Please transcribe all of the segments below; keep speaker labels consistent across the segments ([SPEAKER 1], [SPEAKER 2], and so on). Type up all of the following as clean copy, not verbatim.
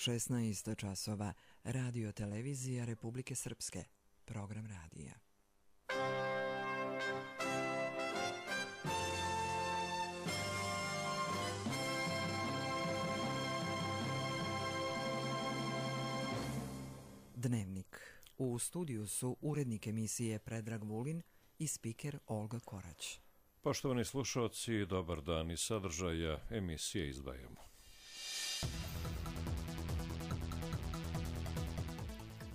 [SPEAKER 1] 16 časova, Radio televizija Republike Srpske, program radija. Dnevnik. U studiju su urednik emisije Predrag Vulin i spiker Olga Korać.
[SPEAKER 2] Poštovani slušalci, dobar dan. Iz sadržaja emisije izdvajamo.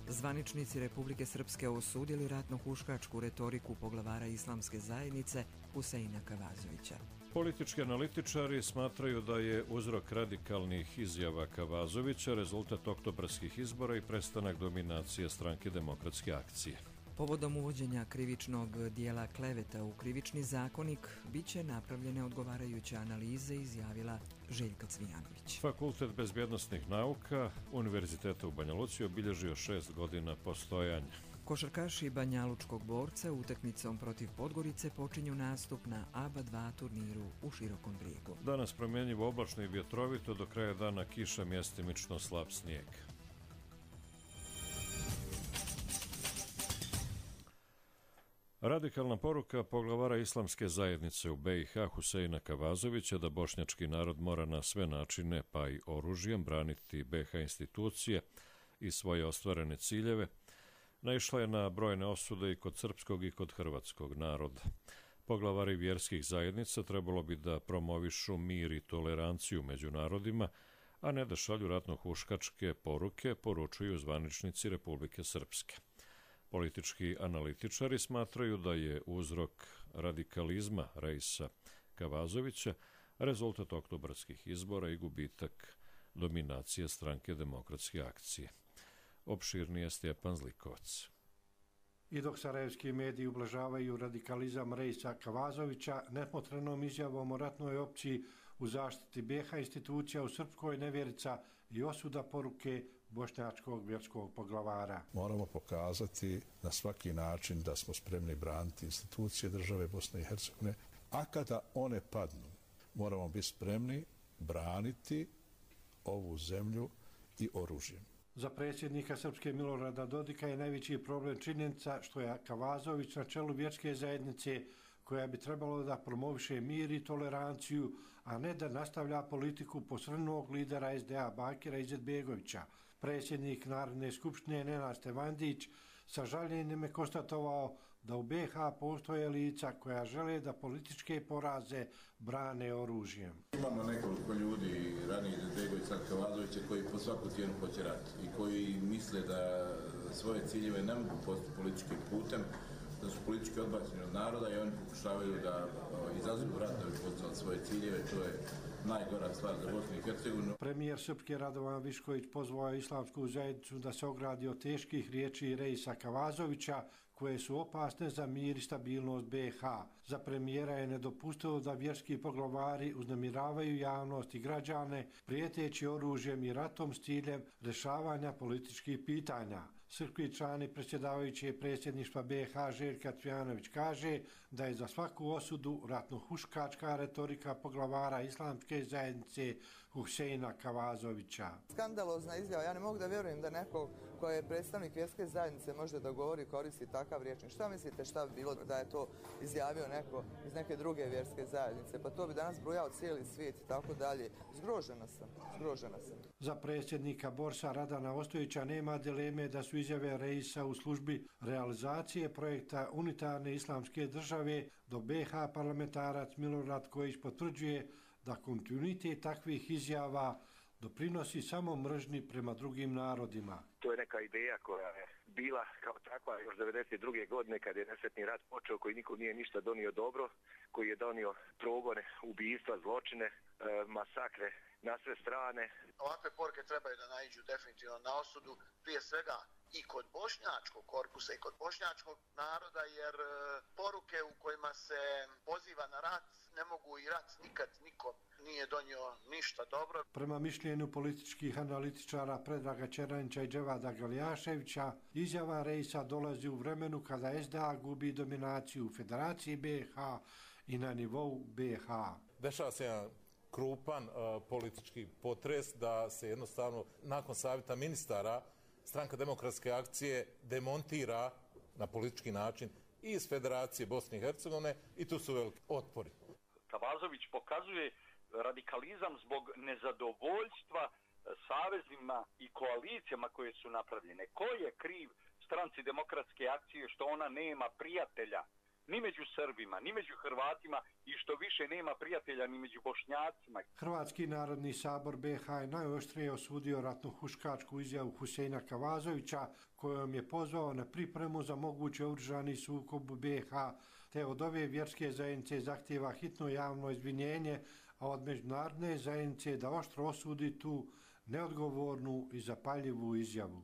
[SPEAKER 1] Zvaničnici Republike Srpske osudili ratno-huškačku retoriku poglavara islamske zajednice Huseina Kavazovića.
[SPEAKER 2] Politički analitičari smatraju da je uzrok radikalnih izjava Kavazovića rezultat oktobarskih izbora i prestanak dominacije Stranke demokratske akcije.
[SPEAKER 1] Povodom uvođenja krivičnog dijela kleveta u krivični zakonik biće napravljene odgovarajuće analize, izjavila Željka Cvijanović.
[SPEAKER 2] Fakultet bezbjednosnih nauka Univerziteta u Banja Luci obilježio 6 godina postojanja.
[SPEAKER 1] Košarkaši Banjalučkog borca utakmicom protiv Podgorice počinju nastup na ABA 2 turniru u Širokom Brijegu.
[SPEAKER 2] Danas promjenjivo oblačno i vjetrovito, do kraja dana kiša, mjestimično slab snijeg. Radikalna poruka poglavara islamske zajednice u BiH Huseina Kavazovića da bošnjački narod mora na sve načine, pa i oružjem, braniti BiH institucije i svoje ostvarene ciljeve, naišla je na brojne osude i kod srpskog i kod hrvatskog naroda. Poglavari vjerskih zajednica trebalo bi da promovišu mir i toleranciju među narodima, a ne da šalju ratno-huškačke poruke, poručuju zvaničnici Republike Srpske. Politički analitičari smatraju da je uzrok radikalizma Reisa Kavazovića rezultat oktobarskih izbora i gubitak dominacije Stranke demokratske akcije. Opširnije Stjepan Zlikovac.
[SPEAKER 3] I dok sarajevski mediji ublažavaju radikalizam Reisa Kavazovića nesmotrenom izjavom o ratnoj opciji u zaštiti BiH institucija u Srpskoj, nevjerica i osuda poruke bošnjačkog vjerskog poglavara.
[SPEAKER 4] Moramo pokazati na svaki način da smo spremni braniti institucije države Bosne i Hercegovine, a kada one padnu, moramo biti spremni braniti ovu zemlju i oružjem.
[SPEAKER 3] Za predsjednika Srpske Milorada Dodika je najveći problem činjenica što je Kavazović na čelu vjerske zajednice koja bi trebalo da promoviše mir i toleranciju, a ne da nastavlja politiku posrnunog lidera SDA Bakira Izetbegovića. Predsjednik Narodne skupštine Nenad Stevandić sa žaljenjem je konstatovao da u BiH postoje lica koja žele da političke poraze brane oružjem.
[SPEAKER 5] Imamo nekoliko ljudi, ranije Izetbegovića, Kavazovića, koji po svaku cijenu hoće rat i koji misle da svoje ciljeve ne mogu postići političkim putem, da su politički odbačeni od naroda i oni pokušavaju da izazovu rat da bi postigli svoje ciljeve. To je najgora stvar za Bosnu i Hercegovinu.
[SPEAKER 3] Premijer Srpske Radovan Višković pozvao islamsku zajednicu da se ogradi od teških riječi Reisa Kavazovića koje su opasne za mir i stabilnost BiH. Za premijera je nedopustivo da vjerski poglavari uznemiravaju javnost i građane prijeteći oružjem i ratom s ciljem rješavanja političkih pitanja. Srpski člani predsjedavajući predsjedništva BiH Željka Cvijanović kaže da je za svaku osudu ratno-huškačka retorika poglavara islamske zajednice Huseina Kavazovića.
[SPEAKER 6] Skandalozna izjava. Ja ne mogu da vjerujem da neko ko je predstavnik vjerske zajednice može da govori i koristi takav rječnik. Šta mislite šta bi bilo da je to izjavio neko iz neke druge vjerske zajednice? Pa to bi danas brujao cijeli svijet i tako dalje. Zgrožena sam.
[SPEAKER 3] Za predsjednika Borsa Radana Ostojića nema dileme da su izjave Reisa u službi realizacije projekta unitarne islamske države, do BiH parlamentarac Milorad Kojić potvrđuje da kontinuitet takvih izjava doprinosi samo mržnji prema drugim narodima.
[SPEAKER 7] To je neka ideja koja je bila kao takva još 1992. godine kad je nesretni rat počeo, koji niko nije ništa donio dobro, koji je donio progone, ubijstva, zločine, masakre na sve strane.
[SPEAKER 8] Ovakve poruke trebaju da naiđu definitivno na osudu, prije svega i kod bošnjačkog korpusa i kod bošnjačkog naroda, jer poruke u kojima se poziva na rat ne mogu i rat nikad nikom nije donio ništa dobro.
[SPEAKER 3] Prema mišljenju političkih analitičara Predraga Čeranića i Dževada Galjaševića, izjava Reisa dolazi u vremenu kada SDA gubi dominaciju u Federaciji BiH i na nivou BiH.
[SPEAKER 9] Dešava se jedan krupan politički potres da se jednostavno nakon savjeta ministara Stranka demokratske akcije demontira na politički način i iz Federacije Bosne i Hercegovine i tu su veliki otpori.
[SPEAKER 10] Kavazović pokazuje radikalizam zbog nezadovoljstva savezima i koalicijama koje su napravljene. Ko je kriv Stranci demokratske akcije što ona nema prijatelja ni među Srbima, ni među Hrvatima i što više nema prijatelja ni među Bošnjacima?
[SPEAKER 3] Hrvatski narodni sabor BiH je najoštrije osudio ratno-huškačku izjavu Huseina Kavazovića kojom je pozvao na pripremu za mogući oružani sukob u BiH, te od ove vjerske zajednice zahtijeva hitno javno izvinjenje, a od međunarodne zajednice da oštro osudi tu neodgovornu i zapaljivu izjavu.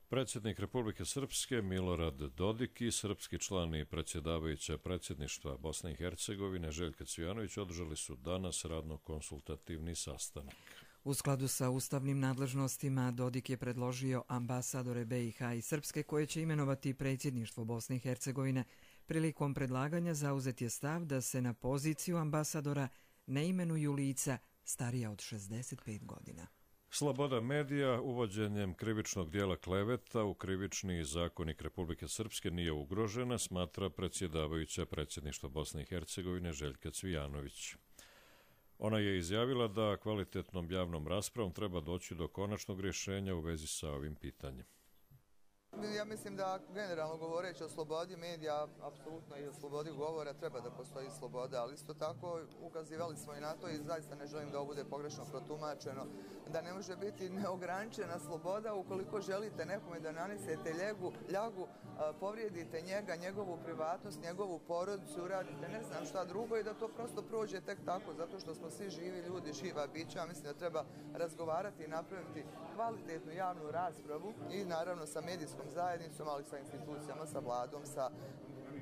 [SPEAKER 2] Predsjednik Republike Srpske Milorad Dodik i srpski član i predsjedavajuća predsjedništva Bosne i Hercegovine Željka Cvijanović održali su danas radno-konsultativni sastanak.
[SPEAKER 1] U skladu sa ustavnim nadležnostima Dodik je predložio ambasadore BiH i Srpske koje će imenovati predsjedništvo Bosne i Hercegovine. Prilikom predlaganja zauzet je stav da se na poziciju ambasadora ne imenuju lica starija od 65 godina.
[SPEAKER 2] Sloboda medija uvođenjem krivičnog dijela kleveta u krivični zakonik Republike Srpske nije ugrožena, smatra predsjedavajuća predsjedništva Bosne i Hercegovine Željka Cvijanović. Ona je izjavila da kvalitetnom javnom raspravom treba doći do konačnog rješenja u vezi sa ovim pitanjem.
[SPEAKER 6] Ja mislim da generalno govoreći o slobodi medija, apsolutno i o slobodi govora treba da postoji sloboda, ali isto tako ukazivali smo i na to i zaista ne želim da ovo bude pogrešno protumačeno, da ne može biti neograničena sloboda ukoliko želite nekome da nanesete ljagu, povrijedite njega, njegovu privatnost, njegovu porodicu, uradite ne znam šta drugo i da to prosto prođe tek tako, zato što smo svi živi ljudi, živa bića. Mislim da treba razgovarati i napraviti kvalitetnu javnu raspravu i naravno sa medijskom zajednicom, ali sa institucijama, sa vladom, sa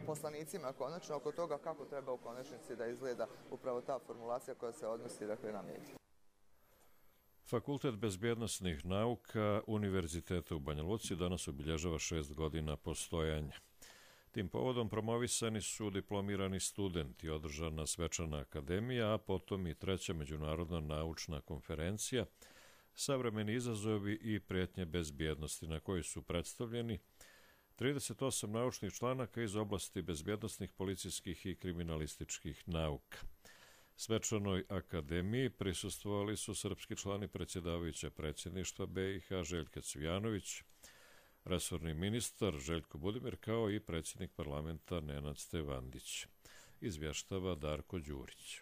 [SPEAKER 6] poslanicima konačno oko toga kako treba u konačnici da izgleda upravo ta formulacija koja se odnosi na medije.
[SPEAKER 2] Fakultet bezbjednosnih nauka Univerziteta u Banja Luci danas obilježava 6 godina postojanja. Tim povodom promovisani su diplomirani studenti, održana svečana akademija, a potom i 3. međunarodna naučna konferencija Savremeni izazovi i prijetnje bezbjednosti, na kojoj su predstavljeni 38 naučnih članaka iz oblasti bezbjednosnih, policijskih i kriminalističkih nauka. Svečanoj akademiji prisustvovali su srpski člani predsjedavajuća predsjedništva BiH Željka Cvijanović, resorni ministar Željko Budimir, kao i predsjednik parlamenta Nenad Stevandić. Izvještava Darko Đurić.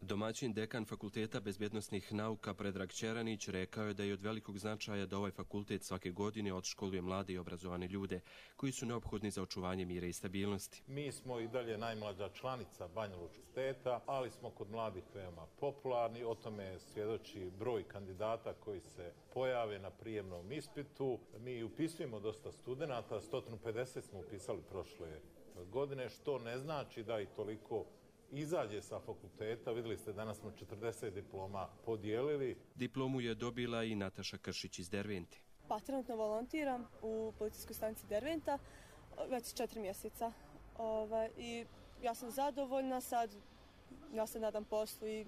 [SPEAKER 11] Domaćin dekan Fakulteta bezbjednosnih nauka Predrag Ćeranić rekao je da je od velikog značaja da ovaj fakultet svake godine odškoluje mlade i obrazovane ljude koji su neophodni za očuvanje mira i stabilnosti.
[SPEAKER 9] Mi smo i dalje najmlađa članica Banja Lučkog steta, ali smo kod mladih veoma popularni. O tome svjedoči broj kandidata koji se pojave na prijemnom ispitu. Mi upisujemo dosta studenata, 150 smo upisali prošle godine, što ne znači da i toliko izađe sa fakulteta. Vidjeli ste, danas smo 40 diploma podijelili.
[SPEAKER 11] Diplomu je dobila i Nataša Kršić iz Dervente.
[SPEAKER 12] Pa trenutno volontiram u policijskoj stanici Derventa već 4 mjeseca. I ja sam zadovoljna sad, ja se nadam poslu i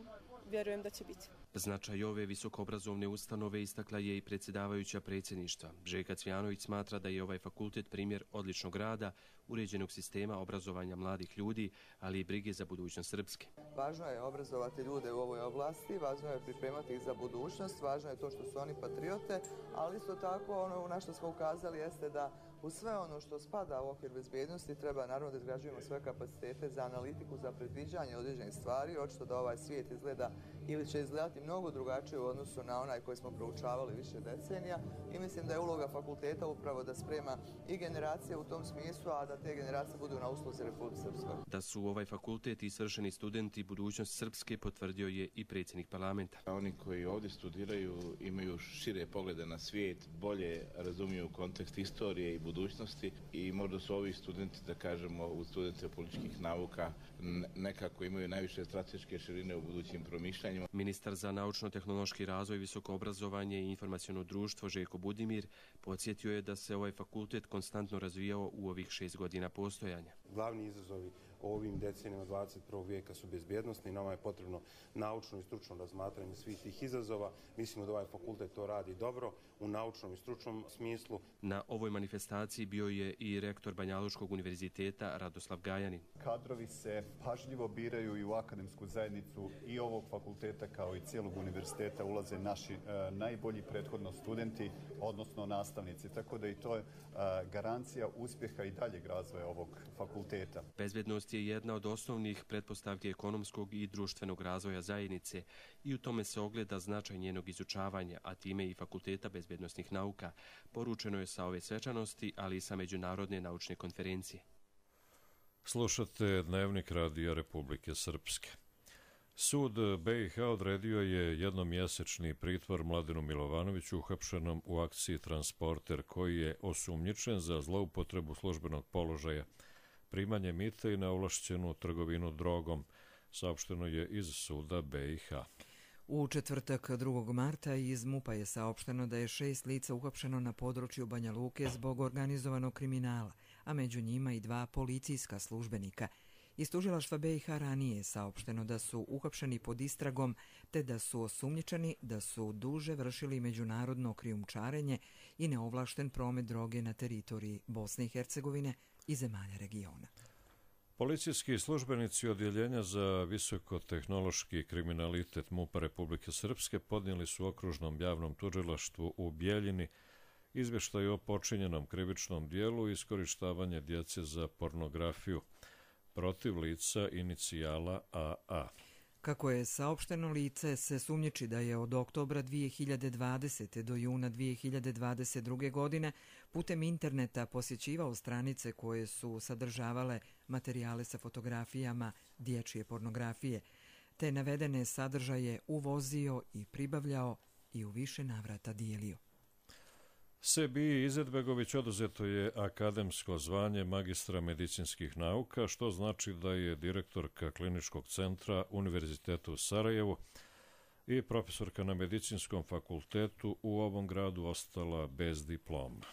[SPEAKER 12] vjerujem da će biti.
[SPEAKER 11] Značaj ove visokoobrazovne ustanove istakla je i predsjedavajuća predsjedništva. Željka Cvijanović smatra da je ovaj fakultet primjer odličnog rada, uređenog sistema obrazovanja mladih ljudi, ali i brige za budućnost Srpske.
[SPEAKER 6] Važno je obrazovati ljude u ovoj oblasti, važno je pripremati ih za budućnost, važno je to što su oni patriote, ali isto tako ono na što smo ukazali jeste da u sve ono što spada u okvir bezbjednosti treba naravno da izgrađujemo sve kapacitete za analitiku, za predviđanje određenih stvari. Očito da ovaj svijet izgleda ili će izgledati mnogo drugačije u odnosu na onaj koji smo proučavali više decenija i mislim da je uloga fakulteta upravo da sprema i generacije u tom smislu, a da te generacije budu na usluzi Republike Srpskoj.
[SPEAKER 11] Da su ovaj fakultet i svršeni studenti budućnost Srpske potvrdio je i predsjednik parlamenta.
[SPEAKER 5] Oni koji ovdje studiraju imaju šire poglede na svijet, bolje razumiju kontekst istorije i budućnosti i možda su ovi studenti, da kažemo, u studente političkih nauka nekako imaju najviše strateške širine u budućim promišljanjima.
[SPEAKER 11] Ministar za naučno-tehnološki razvoj, visoko obrazovanje i informaciono društvo Željko Budimir podsjetio je da se ovaj fakultet konstantno razvijao u ovih 6 godina postojanja.
[SPEAKER 13] Glavni izazovi o ovim decenijama 21. vijeka su bezbjednostni i nama je potrebno naučno i stručno razmatranje svih tih izazova. Mislimo da ovaj fakultet to radi dobro u naučnom i stručnom smislu.
[SPEAKER 11] Na ovoj manifestaciji bio je i rektor Banjalučkog univerziteta Radoslav Gajanin.
[SPEAKER 14] Kadrovi se pažljivo biraju i u akademsku zajednicu i ovog fakulteta kao i cijelog univerziteta ulaze naši najbolji prethodno studenti, odnosno nastavnici. Tako da i to je garancija uspjeha i daljeg razvoja ovog fakulteta.
[SPEAKER 11] Bezbednost je jedna od osnovnih pretpostavki ekonomskog i društvenog razvoja zajednice i u tome se ogleda značaj njenog izučavanja, a time i Fakulteta bezbednosnih nauka, poručeno je sa ove svečanosti, ali i sa Međunarodne naučne konferencije.
[SPEAKER 2] Slušate Dnevnik Radija Republike Srpske. Sud BiH odredio je jednomjesečni pritvor Mladenu Milovanoviću uhapšenom u akciji Transporter, koji je osumnjičen za zloupotrebu službenog položaja, primanje mita i neovlašćenu trgovinu drogom, saopšteno je iz suda BiH.
[SPEAKER 1] U četvrtak 2. marta iz MUP-a je saopšteno da je 6 lica uhapšeno na području Banja Luke zbog organizovanog kriminala, a među njima i 2 policijska službenika. Iz tužilaštva BiH ranije je saopšteno da su uhapšeni pod istragom te da su osumnjičeni da su duže vršili međunarodno krijumčarenje i neovlašten promet droge na teritoriji Bosne i Hercegovine i zemalja regiona.
[SPEAKER 2] Policijski službenici Odjeljenja za visokotehnološki kriminalitet MUP-a Republike Srpske podnijeli su okružnom javnom tužilaštvu u Bjeljini izvještaj o počinjenom krivičnom dijelu i iskorištavanje djece za pornografiju protiv lica inicijala AA.
[SPEAKER 1] Kako je saopšteno, lice se sumnjiči da je od oktobra 2020. do juna 2022. godine putem interneta posjećivao stranice koje su sadržavale materijale sa fotografijama dječje pornografije, te navedene sadržaje uvozio i pribavljao i u više navrata dijelio.
[SPEAKER 2] Sebiji Izetbegović oduzeto je akademsko zvanje magistra medicinskih nauka, što znači da je direktorka Kliničkog centra Univerziteta u Sarajevu i profesorka na Medicinskom fakultetu u ovom gradu ostala bez diploma.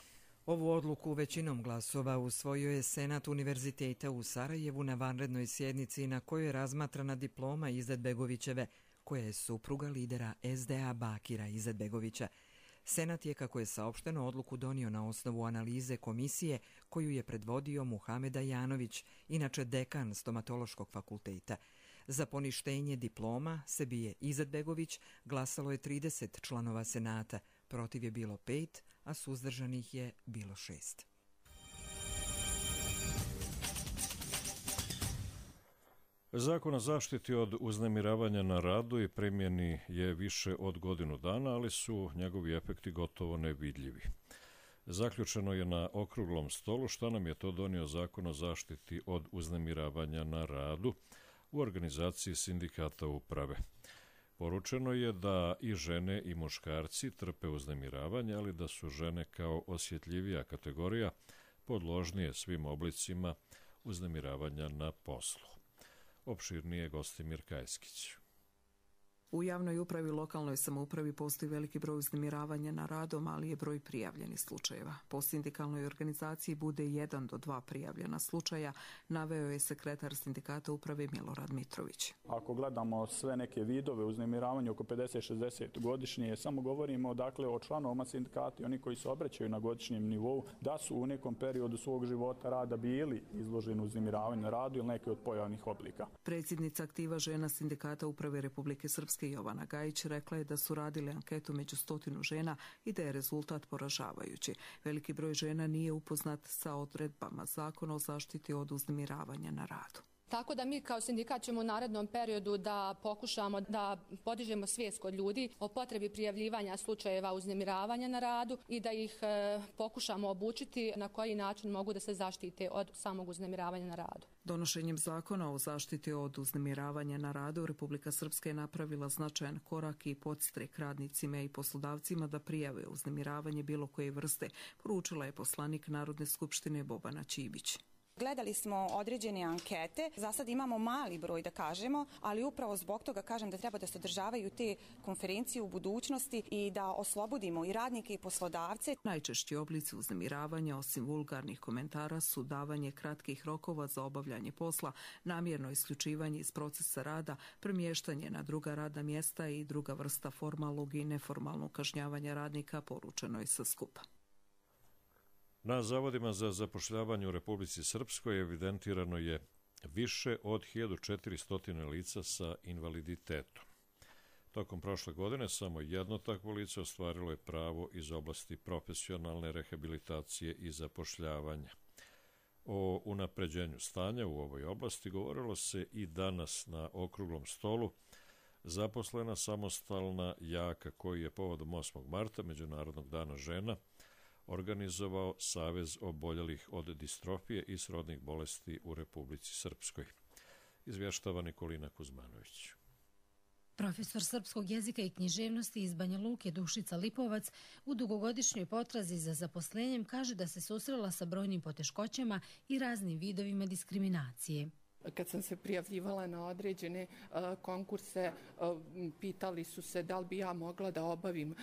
[SPEAKER 1] Ovu odluku većinom glasova usvojio je Senat Univerziteta u Sarajevu na vanrednoj sjednici na kojoj je razmatrana diploma Izetbegovićeve, koja je supruga lidera SDA Bakira Izetbegovića. Senat je, kako je saopšteno, odluku donio na osnovu analize komisije koju je predvodio Muhameda Janović, inače dekan Stomatološkog fakulteta. Za poništenje diploma Sebije Izetbegović glasalo je 30 članova Senata, protiv je bilo 5, a suzdržanih je bilo 6.
[SPEAKER 2] Zakon o zaštiti od uznemiravanja na radu i primjeni je više od godinu dana, ali su njegovi efekti gotovo nevidljivi. Zaključeno je na okruglom stolu šta nam je to donio Zakon o zaštiti od uznemiravanja na radu u organizaciji sindikata uprave. Poručeno je da i žene i muškarci trpe uznemiravanje, ali da su žene kao osjetljivija kategorija podložnije svim oblicima uznemiravanja na poslu. Opširnije Gostimir Kajskić.
[SPEAKER 15] U javnoj upravi i lokalnoj samoupravi postoji veliki broj uznemiravanja na radom, ali je broj prijavljenih slučajeva. Po sindikalnoj organizaciji bude 1 do 2 prijavljena slučaja, naveo je sekretar sindikata uprave Milorad Mitrović.
[SPEAKER 16] Ako gledamo sve neke vidove uznemiravanja oko 50-60 godišnje, samo govorimo dakle o članovima sindikata i oni koji se obraćaju na godišnjem nivou da su u nekom periodu svog života rada bili izloženi uznemiravanju na radu ili neke od pojavnih oblika.
[SPEAKER 15] Predsjednica aktiva žena sindikata uprave Republike Srpske Jovana Gajić rekla je da su radili anketu među 100 žena i da je rezultat poražavajući. Veliki broj žena nije upoznat sa odredbama Zakona o zaštiti od uznemiravanja na radu.
[SPEAKER 17] Tako da mi kao sindikat ćemo u narednom periodu da pokušamo da podižemo svijest kod ljudi o potrebi prijavljivanja slučajeva uznemiravanja na radu i da ih pokušamo obučiti na koji način mogu da se zaštite od samog uznemiravanja na radu.
[SPEAKER 15] Donošenjem Zakona o zaštiti od uznemiravanja na radu Republika Srpska je napravila značajan korak i podstrek radnicima i poslodavcima da prijave uznemiravanje bilo koje vrste, poručila je poslanik Narodne skupštine Bobana Čibić.
[SPEAKER 18] Gledali smo određene ankete, za sad imamo mali broj da kažemo, ali upravo zbog toga kažem da treba da se održavaju te konferencije u budućnosti i da oslobodimo i radnike i poslodavce.
[SPEAKER 15] Najčešći oblici uznemiravanja, osim vulgarnih komentara, su davanje kratkih rokova za obavljanje posla, namjerno isključivanje iz procesa rada, premještanje na druga radna mjesta i druga vrsta formalnog i neformalnog kažnjavanja radnika, poručeno je sa skupa.
[SPEAKER 2] Na zavodima za zapošljavanje u Republici Srpskoj evidentirano je više od 1400 lica sa invaliditetom. Tokom prošle godine samo jedno takvo lice ostvarilo je pravo iz oblasti profesionalne rehabilitacije i zapošljavanja. O unapređenju stanja u ovoj oblasti govorilo se i danas na okruglom stolu zaposlena samostalna jaka koji je povodom 8. marta, Međunarodnog dana žena, organizovao Savez oboljelih od distrofije i srodnih bolesti u Republici Srpskoj. Izvještava Nikolina Kuzmanović.
[SPEAKER 19] Profesor srpskog jezika i književnosti iz Banja Luke Dušica Lipovac u dugogodišnjoj potrazi za zaposlenjem kaže da se susrela sa brojnim poteškoćama i raznim vidovima diskriminacije.
[SPEAKER 20] Kad sam se prijavljivala na određene konkurse, pitali su se da li bi ja mogla da obavim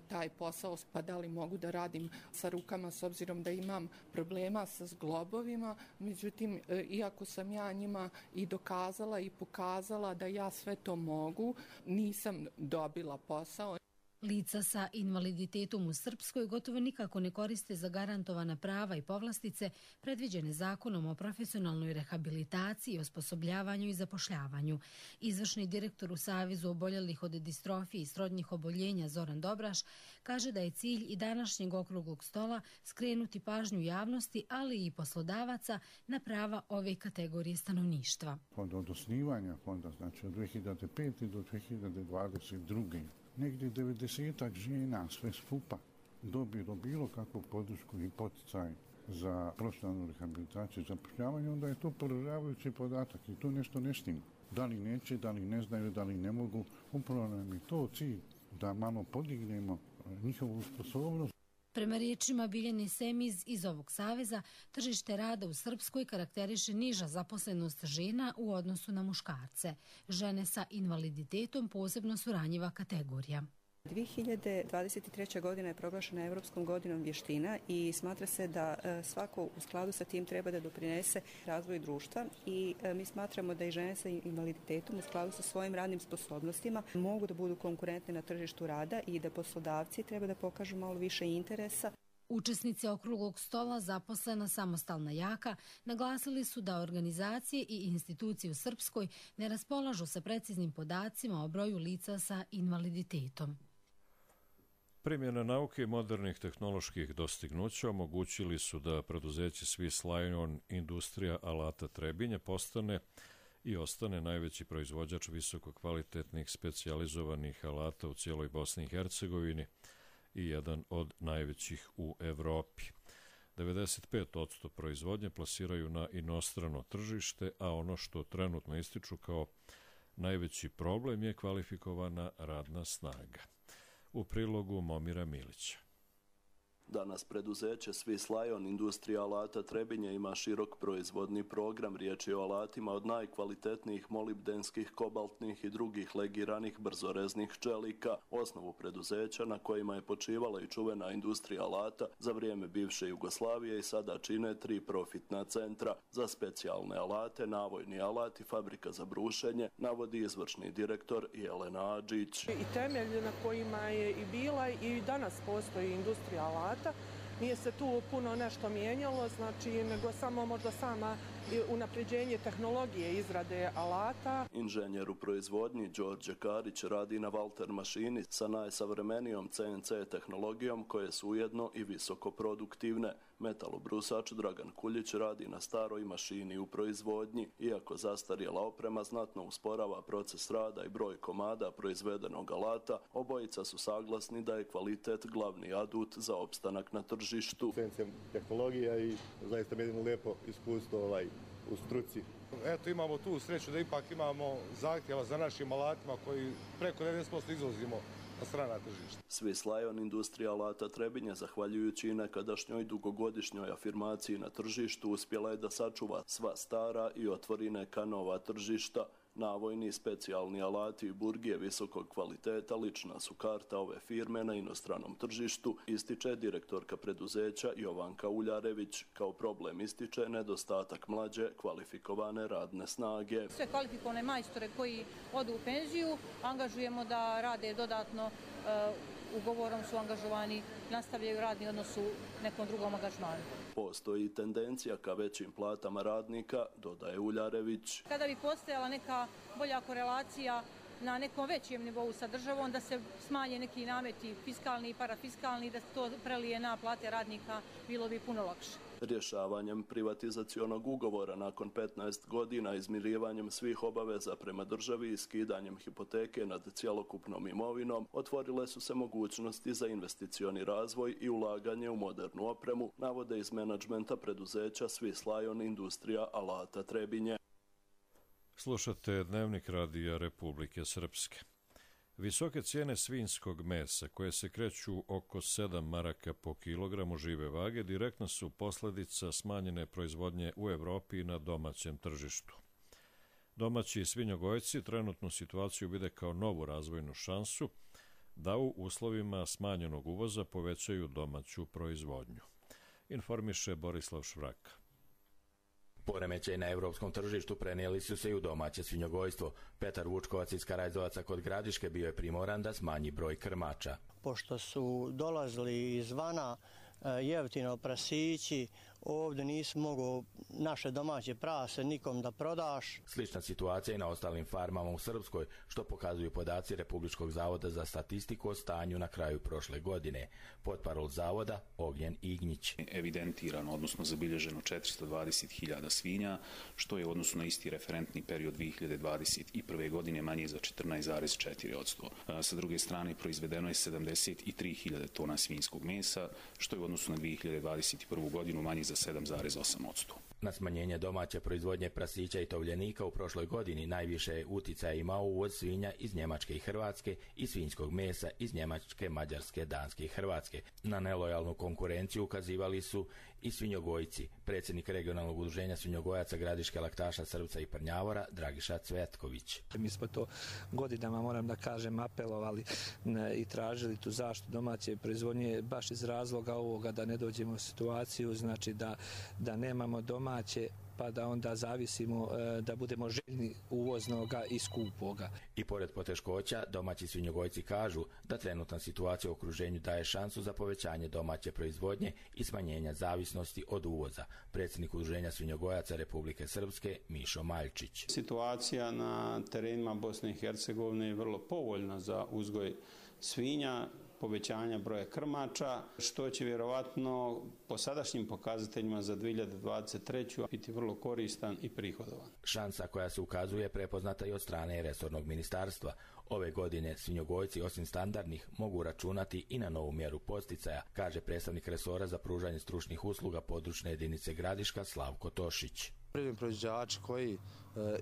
[SPEAKER 20] taj posao, pa da li mogu da radim sa rukama s obzirom da imam problema sa zglobovima. Međutim, iako sam ja njima i dokazala i pokazala da ja sve to mogu, nisam dobila posao.
[SPEAKER 19] Lica sa invaliditetom u Srpskoj gotovo nikako ne koriste zagarantovana prava i povlastice predviđene Zakonom o profesionalnoj rehabilitaciji, osposobljavanju i zapošljavanju. Izvršni direktor u Savezu oboljelih od distrofije i srodnih oboljenja Zoran Dobraš kaže da je cilj i današnjeg okruglog stola skrenuti pažnju javnosti, ali i poslodavaca na prava ove kategorije stanovništva.
[SPEAKER 21] Od osnivanja fonda, znači od 2005. do 2022. negdje 90 žena sve skupa dobilo bilo kakvu podršku i poticaj za profesionalnu rehabilitaciju i zapošljavanje, onda je to poražavajući podatak i to nešto ne štima. Da li neće, da li ne znaju, da li ne mogu, upravo nam je to cilj da malo podignemo njihovu sposobnost.
[SPEAKER 19] Prema riječima Biljane Semiz iz ovog saveza, tržište rada u Srpskoj karakteriše niža zaposlenost žena u odnosu na muškarce. Žene sa invaliditetom posebno su ranjiva kategorija.
[SPEAKER 22] 2023. godina je proglašena Europskom godinom vještina i smatra se da svako u skladu sa tim treba da doprinese razvoju društva i mi smatramo da i žene sa invaliditetom u skladu sa svojim radnim sposobnostima mogu da budu konkurentne na tržištu rada i da poslodavci treba da pokažu malo više interesa.
[SPEAKER 19] Učesnici okruglog stola zaposlena samostalna jaka naglasili su da organizacije i institucije u Srpskoj ne raspolažu sa preciznim podacima o broju lica sa invaliditetom.
[SPEAKER 2] Primjena nauke i modernih tehnoloških dostignuća omogućili su da preduzeće Swiss Lion Industrija alata Trebinje postane i ostane najveći proizvođač visokokvalitetnih specijalizovanih alata u cijeloj Bosni i Hercegovini i jedan od najvećih u Evropi. 95% proizvodnje plasiraju na inostrano tržište, a ono što trenutno ističu kao najveći problem je kvalifikovana radna snaga. U prilogu Momira Milića.
[SPEAKER 23] Danas preduzeće Swiss Lion Industrija alata Trebinje ima širok proizvodni program. Riječ je o alatima od najkvalitetnijih molibdenskih, kobaltnih i drugih legiranih brzoreznih čelika. Osnovu preduzeća na kojima je počivala i čuvena industrija alata za vrijeme bivše Jugoslavije i sada čine 3 profitna centra. Za specijalne alate, navojni alat i fabrika za brušenje, navodi izvršni direktor Jelena Adžić.
[SPEAKER 24] I temelj na kojima je i bila i danas postoji industrija alata. Nije se tu puno nešto mijenjalo, znači nego samo možda sama unapređenje tehnologije izrade alata.
[SPEAKER 23] Inženjer u proizvodnji Đorđe Karić radi na Valter mašini sa najsavremenijom CNC tehnologijom koje su ujedno i visoko produktivne. Metalobrusač Dragan Kuljić radi na staroj mašini u proizvodnji. Iako zastarjela oprema znatno usporava proces rada i broj komada proizvedenog alata, obojica su saglasni da je kvalitet glavni adut za opstanak na tržištu.
[SPEAKER 25] CNC tehnologija i zaista jedino lijepo iskustvo u struci.
[SPEAKER 26] Eto, imamo tu sreću da ipak imamo zahtjeva za našim alatima koji preko 90% izvozimo
[SPEAKER 25] strana tržišta.
[SPEAKER 23] Swiss Lion industrija alata Trebinje, zahvaljujući i nekadašnjoj dugogodišnjoj afirmaciji na tržištu, uspjela je da sačuva sva stara i otvori neka nova tržišta. Navojni specijalni alati i burgije visokog kvaliteta lična su karta ove firme na inostranom tržištu, ističe direktorka preduzeća Jovanka Uljarević. Kao problem ističe nedostatak mlađe kvalifikovane radne snage.
[SPEAKER 3] Sve kvalifikovane majstore koji odu u penziju angažujemo da rade dodatno, ugovorom su angažovani, nastavljaju radni odnos u nekom drugom angažmanu.
[SPEAKER 23] Postoji tendencija ka većim platama radnika, dodaje Uljarević.
[SPEAKER 3] Kada bi postojala neka bolja korelacija na nekom većem nivou sa državom, da se smanje neki nameti fiskalni i parafiskalni, da se to prelije na plate radnika, bilo bi puno lakše.
[SPEAKER 23] Rješavanjem privatizacionog ugovora nakon 15 godina, izmirivanjem svih obaveza prema državi i skidanjem hipoteke nad cjelokupnom imovinom, otvorile su se mogućnosti za investicioni razvoj i ulaganje u modernu opremu, navode iz menadžmenta preduzeća Swiss Lion industrija alata Trebinje.
[SPEAKER 2] Slušate Dnevnik radija Republike Srpske. Visoke cijene svinjskog mesa, koje se kreću oko 7 maraka po kilogramu žive vage, direktno su posljedica smanjene proizvodnje u Evropi i na domaćem tržištu. Domaći svinjogojci trenutnu situaciju vide kao novu razvojnu šansu da u uslovima smanjenog uvoza povećaju domaću proizvodnju. Informiše Borislav Švraka.
[SPEAKER 4] Poremećaj na evropskom tržištu prenijeli su se i u domaće svinjogojstvo. Petar Vučkovac iz Karajzovaca kod Gradiške bio je primoran da smanji broj krmača.
[SPEAKER 7] Pošto su dolazili izvana jeftino prasići, ovdje nisi mogao naše domaće prase nikom da prodaš.
[SPEAKER 4] Slična situacija i na ostalim farmama u Srpskoj, što pokazuju podaci Republičkog zavoda za statistiku o stanju na kraju prošle godine. Potparol zavoda Ognjen Ignjić.
[SPEAKER 8] Evidentirano, odnosno zabilježeno 420.000 svinja, što je u odnosu na isti referentni period 2021. godine manje za 14,4%. Sa druge strane, proizvedeno je 73.000 tona svinjskog mesa, što je u odnosu na 2021. godinu manje za 7,8%.
[SPEAKER 4] Na smanjenje domaće proizvodnje prasića i tovljenika u prošloj godini najviše je uticaja imao uvoz svinja iz Njemačke i Hrvatske i svinjskog mesa iz Njemačke, Mađarske, Danske i Hrvatske. Na nelojalnu konkurenciju ukazivali su i svinjogojci. Predsjednik regionalnog udruženja svinjogojaca Gradiške, Laktaša, Srpca i Prnjavora Dragiša Cvetković.
[SPEAKER 10] Mi smo to godinama, moram da kažem, apelovali i tražili tu zaštitu domaće proizvodnje baš iz razloga ovoga da ne dođemo u situaciju, znači da nemamo domaće pa da onda zavisimo da budemo željni uvoznoga i skupoga.
[SPEAKER 4] I pored poteškoća, domaći svinjogojci kažu da trenutna situacija u okruženju daje šansu za povećanje domaće proizvodnje i smanjenja zavisnosti od uvoza. Predsjednik udruženja svinjogojaca Republike Srpske Mišo Maljčić.
[SPEAKER 26] Situacija na terenima Bosne i Hercegovine je vrlo povoljna za uzgoj svinja, povećanja broja krmača, što će vjerovatno po sadašnjim pokazateljima za 2023. biti vrlo koristan i prihodovan.
[SPEAKER 4] Šansa koja se ukazuje prepoznata i od strane resornog ministarstva. Ove godine svinjogojci osim standardnih mogu računati i na novu mjeru podsticaja, kaže predstavnik resora za pružanje stručnih usluga područne jedinice Gradiška Slavko Tošić.
[SPEAKER 27] Poljoprivredni proizvođači koji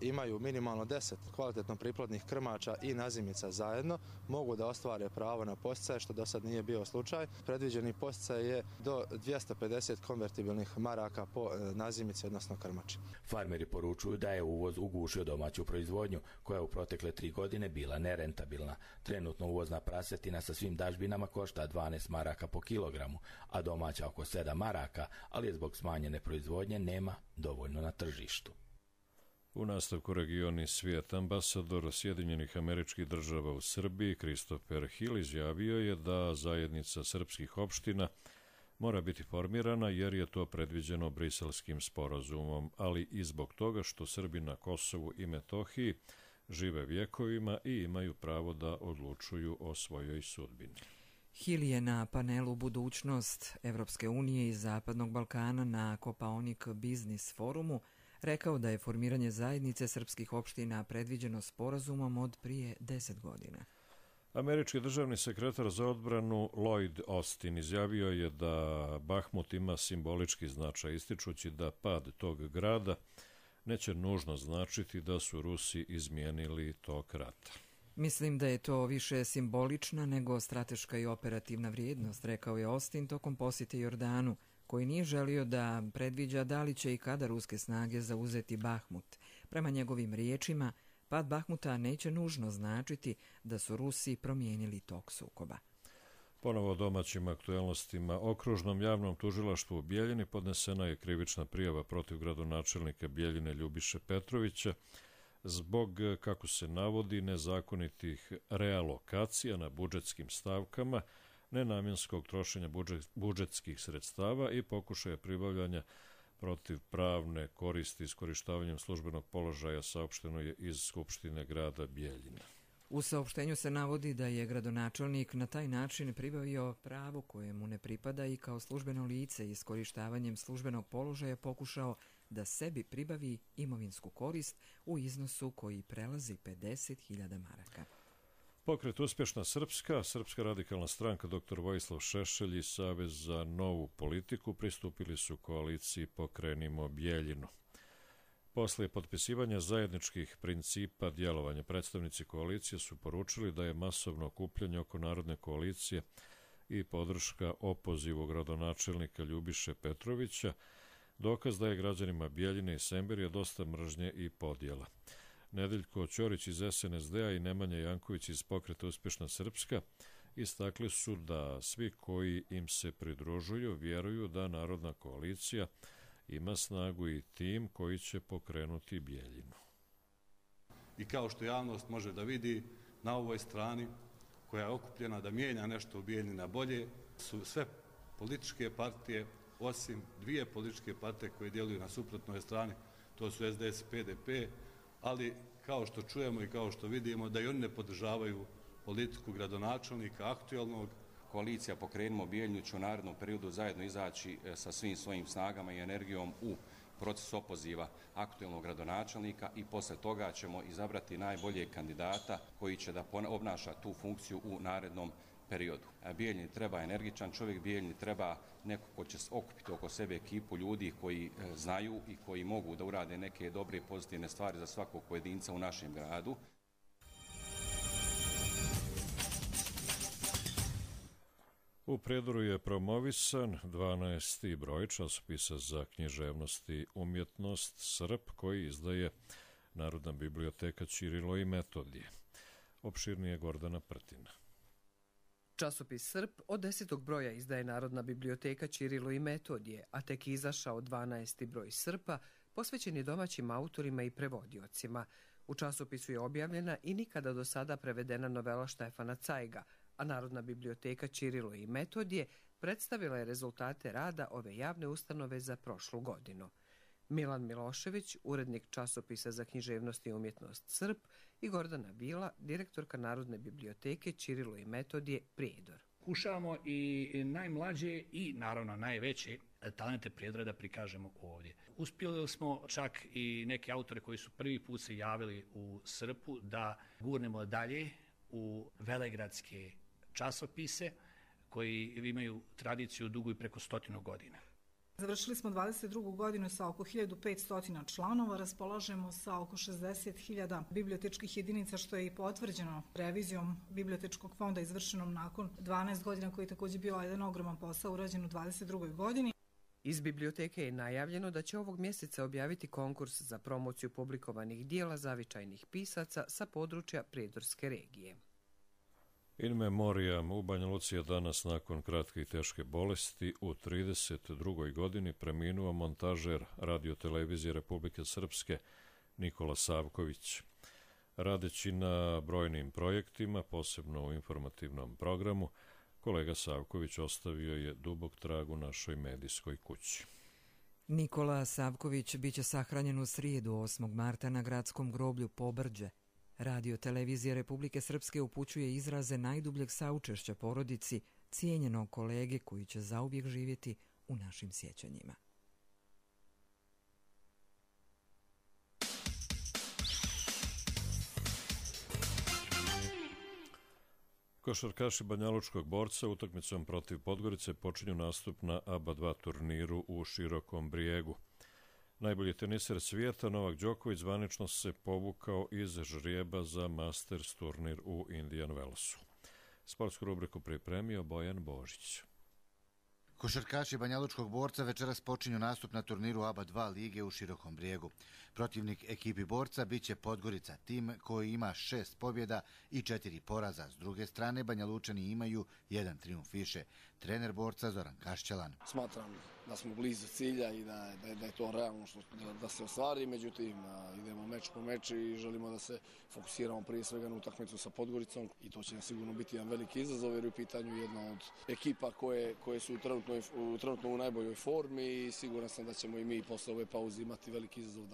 [SPEAKER 27] imaju minimalno 10 kvalitetno priplodnih krmača i nazimica zajedno mogu da ostvare pravo na podsticaje, što do sad nije bio slučaj. Predviđeni podsticaj je do 250 konvertibilnih maraka po nazimici, odnosno krmači.
[SPEAKER 4] Farmeri poručuju da je uvoz ugušio domaću proizvodnju, koja je u protekle 3 godine bila nerentabilna. Trenutno uvozna prasetina sa svim dažbinama košta 12 maraka po kilogramu, a domaća oko 7 maraka, ali je zbog smanjene proizvodnje nema dovoljno na tržištu.
[SPEAKER 2] U nastavku Regioni svijet, ambasador Sjedinjenih Američkih Država u Srbiji Christopher Hill izjavio je da zajednica srpskih opština mora biti formirana jer je to predviđeno Briselskim sporazumom, ali i zbog toga što Srbi na Kosovu i Metohiji žive vjekovima i imaju pravo da odlučuju o svojoj sudbini.
[SPEAKER 1] Hill je na panelu Budućnost Evropske unije i Zapadnog Balkana na Kopaonik Biznis forumu rekao da je formiranje zajednice srpskih opština predviđeno sporazumom od prije 10 godina.
[SPEAKER 2] Američki državni sekretar za odbranu Lloyd Austin izjavio je da Bahmut ima simbolički značaj, ističući da pad tog grada neće nužno značiti da su Rusi izmijenili tok rata.
[SPEAKER 1] Mislim da je to više simbolična nego strateška i operativna vrijednost, rekao je Austin tokom posjete Jordanu, koji nije želio da predviđa da li će i kada ruske snage zauzeti Bahmut. Prema njegovim riječima, pad Bahmuta neće nužno značiti da su Rusi promijenili tok sukoba.
[SPEAKER 2] Ponovo o domaćim aktuelnostima. Okružnom javnom tužilaštvu u Bijeljini podnesena je krivična prijava protiv gradonačelnika Bijeljine Ljubiše Petrovića zbog, kako se navodi, nezakonitih realokacija na budžetskim stavkama, nenamjenskog trošenja budžetskih sredstava i pokušaja pribavljanja protiv pravne koristi iskorištavanjem službenog položaja, saopšteno je iz Skupštine grada Bijeljina.
[SPEAKER 1] U saopštenju se navodi da je gradonačelnik na taj način pribavio pravo koje mu ne pripada i kao službeno lice iskorištavanjem službenog položaja pokušao da sebi pribavi imovinsku korist u iznosu koji prelazi 50.000 maraka.
[SPEAKER 2] Pokret Uspješna Srpska, Srpska radikalna stranka dr. Vojislav Šešelj i Savez za novu politiku pristupili su koaliciji Pokrenimo Bijeljinu. Posle potpisivanja zajedničkih principa djelovanja, predstavnici koalicije su poručili da je masovno okupljanje oko Narodne koalicije i podrška opozivu gradonačelnika Ljubiše Petrovića dokaz da je građanima Bijeljine i Semberija dosta mržnje i podjela. Nedeljko Ćorić iz SNSD-a i Nemanja Janković iz Pokreta Uspješna Srpska istakli su da svi koji im se pridružuju vjeruju da Narodna koalicija ima snagu i tim koji će pokrenuti Bijeljinu.
[SPEAKER 5] I kao što javnost može da vidi, na ovoj strani koja je okupljena da mijenja nešto u Bijeljini na bolje su sve političke partije, osim dvije političke partije koje djeluju na suprotnoj strani, to su SDS i PDP, ali kao što čujemo i kao što vidimo da i oni ne podržavaju politiku gradonačelnika aktualnog.
[SPEAKER 6] Koalicija Pokrenimo Bijeljinu će u narednom periodu zajedno izaći sa svim svojim snagama i energijom u proces opoziva aktualnog gradonačelnika i posle toga ćemo izabrati najboljeg kandidata koji će da obnaša tu funkciju u narednom periodu. Bijeljini treba energičan čovjek, Bijeljini treba neko ko će okupiti oko sebe ekipu ljudi koji znaju i koji mogu da urade neke dobre i pozitivne stvari za svakog pojedinca u našem gradu.
[SPEAKER 2] U Prijedoru je promovisan 12. broj časopisa za književnost i umjetnost Srp koji izdaje Narodna biblioteka Ćirilo i Metodije. Opširnije Gordana Prtina.
[SPEAKER 9] Časopis Srp od 10. broja izdaje Narodna biblioteka Ćirilo i Metodije, a tek izašao 12. broj Srpa posvećen je domaćim autorima i prevodiocima. U časopisu je objavljena i nikada do sada prevedena novela Štefana Cajga, a Narodna biblioteka Ćirilo i Metodije predstavila je rezultate rada ove javne ustanove za prošlu godinu. Milan Milošević, urednik časopisa za književnost i umjetnost Srp, i Gordana Bila, direktorka Narodne biblioteke Ćirilo i Metodije Prijedor.
[SPEAKER 11] Kušamo i najmlađe i naravno najveće talente Prijedora da prikažemo ovdje. Uspjeli smo čak i neke autore koji su prvi put se javili u Srpu da gurnemo dalje u velegradske časopise koji imaju tradiciju dugu i preko 100 godina.
[SPEAKER 12] Završili smo 22. godinu sa oko 1500 članova, raspolažemo sa oko 60.000 bibliotečkih jedinica, što je i potvrđeno revizijom bibliotečkog fonda izvršenom nakon 12 godina, koji je također bio jedan ogroman posao urađen u 22. godini.
[SPEAKER 9] Iz biblioteke je najavljeno da će ovog mjeseca objaviti konkurs za promociju publikovanih dijela zavičajnih pisaca sa područja Prijedorske regije.
[SPEAKER 2] In memoriam u Banja Luci je danas nakon kratke i teške bolesti u 32. godini preminuo montažer radiotelevizije Republike Srpske Nikola Savković. Radeći na brojnim projektima, posebno u informativnom programu, kolega Savković ostavio je dubok trag u našoj medijskoj kući.
[SPEAKER 1] Nikola Savković biće sahranjen u srijedu 8. marta na gradskom groblju Pobrđe. Radio televizija Republike Srpske upućuje izraze najdubljeg saučešća porodici cijenjenog kolege koji će zauvijek živjeti u našim sjećanjima.
[SPEAKER 2] Košarkaši Banjalučkog Borca utakmicom protiv Podgorice počinju nastup na ABA 2 turniru u Širokom Brijegu. Najbolji teniser svijeta Novak Đoković zvanično se povukao iz žrijeba za Masters turnir u Indian Wellsu. Sportsku rubriku pripremio Bojan Božić.
[SPEAKER 13] Košarkaši banjalučkog Borca večeras počinju nastup na turniru ABA 2 lige u Širokom Brijegu. Protivnik ekipi Borca biće Podgorica, tim koji ima 6 pobjeda i 4 poraza. S druge strane, Banjalučani imaju 1 trijumf više. Trener Borca Zoran Kašćalan.
[SPEAKER 14] Smatram da smo blizu cilja i da je to realno da se ostvari, međutim idemo meč po meč i želimo da se fokusiramo prije svega na utakmicu sa Podgoricom i to će sigurno biti jedan veliki izazov jer je u pitanju jedna od ekipa koje su trenutno u najboljoj formi i siguran sam da ćemo i mi posle ove pauze imati veliki izazov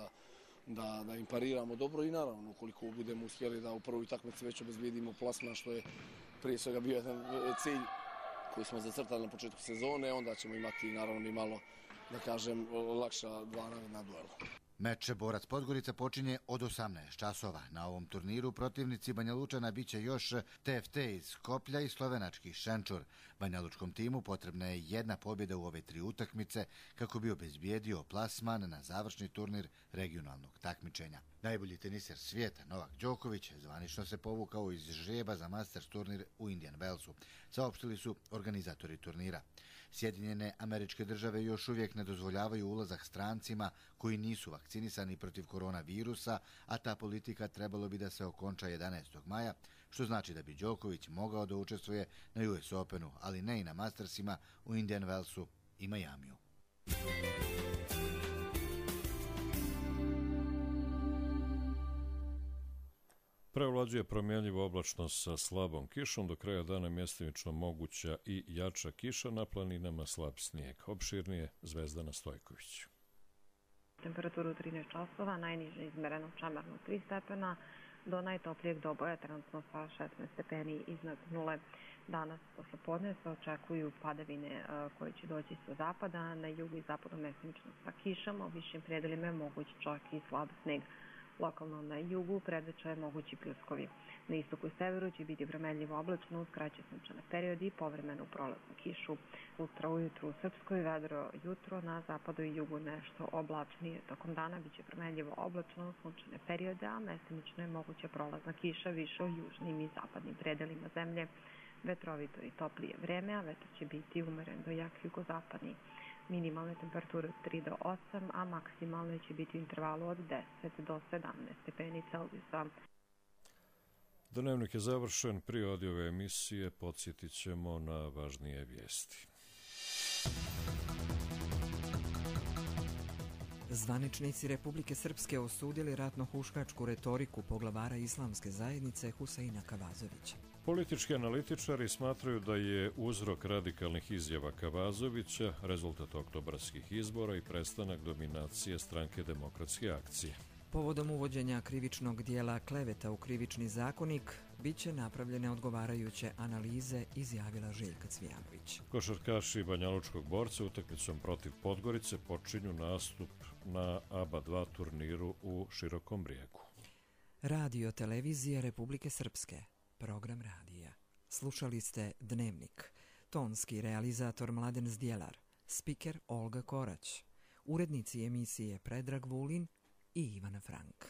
[SPEAKER 14] da im pariramo dobro i naravno ukoliko budemo uspjeli da u prvoj utakmici već obezbijedimo plasman što je prije svega bio jedan cilj koji smo zacrtali na početku sezone, onda ćemo imati naravno i malo, da kažem, lakša dva naredna duela.
[SPEAKER 13] Meč Borac Podgorica počinje od 18 časova. Na ovom turniru protivnici Banjalučana biće još TFT iz Skoplja i slovenački Šenčur. Banjalučkom timu potrebna je 1 pobjeda u ove 3 utakmice kako bi obezbijedio plasman na završni turnir regionalnog takmičenja. Najbolji teniser svijeta Novak Đoković zvanično se povukao iz žrijeba za Masters turnir u Indian Wellsu, saopštili su organizatori turnira. Sjedinjene Američke Države još uvijek ne dozvoljavaju ulazak strancima koji nisu vakcinisani protiv koronavirusa, a ta politika trebalo bi da se okonča 11. maja, što znači da bi Đoković mogao da učestvuje na US Openu, ali ne i na Mastersima u Indian Wellsu i Majamiju.
[SPEAKER 2] Prevlađuje promjenljiva oblačnost sa slabom kišom, do kraja dana mjestimično moguća i jača kiša, na planinama slab snijeg. Opširnije Zvezdana Stojković.
[SPEAKER 15] Temperaturu 13 časova, najniže izmereno Čamarno 3 stepena, do najtoplijeg doboja trenutno sa 16 stepeni iznad nule. Danas poslepodne se očekuju padavine koje će doći sa zapada, na jugu i zapadu mjestimično sa kišom, u višim predelima je moguć čak i slab sneg. Lokalno na jugu predviđa je mogući pljuskovi. Na istoku i severu će biti vremenljivo oblačno, uz kraće sunčane periodi i povremenu prolaznu kišu. Sutra ujutru u Srpskoj vedro, jutro na zapadu i jugu nešto oblačnije. Tokom dana biće vremenljivo oblačno, sunčane periode, a mestimično je moguća prolazna kiša više u južnim i zapadnim predelima zemlje. Vetrovito i toplije vreme, a vetar će biti umeren do jak jugozapadni. Minimalne temperature od 3 do 8, a maksimalne će biti u intervalu od 10 do 17 stepeni Celzijusa.
[SPEAKER 2] Dnevnik je završen. Prije ove emisije podsjetit ćemo na važnije vijesti.
[SPEAKER 1] Zvaničnici Republike Srpske osudili ratno-huškačku retoriku poglavara islamske zajednice Huseina Kavazovića.
[SPEAKER 2] Politički analitičari smatraju da je uzrok radikalnih izjava Kavazovića rezultat oktobarskih izbora i prestanak dominacije Stranke demokratske akcije.
[SPEAKER 1] Povodom uvođenja krivičnog dijela kleveta u krivični zakonik biće napravljene odgovarajuće analize, izjavila Željka Cvijanović.
[SPEAKER 2] Košarkaši Banjalučkog Borca utakmicom protiv Podgorice počinju nastup na ABA 2 turniru u Širokom Brijegu.
[SPEAKER 1] Radio Televizije Republike Srpske. Program radija. Slušali ste Dnevnik. Tonski realizator Mladen Zdjelar. Spiker Olga Korać. Urednici emisije Predrag Vulin i Ivana Frank.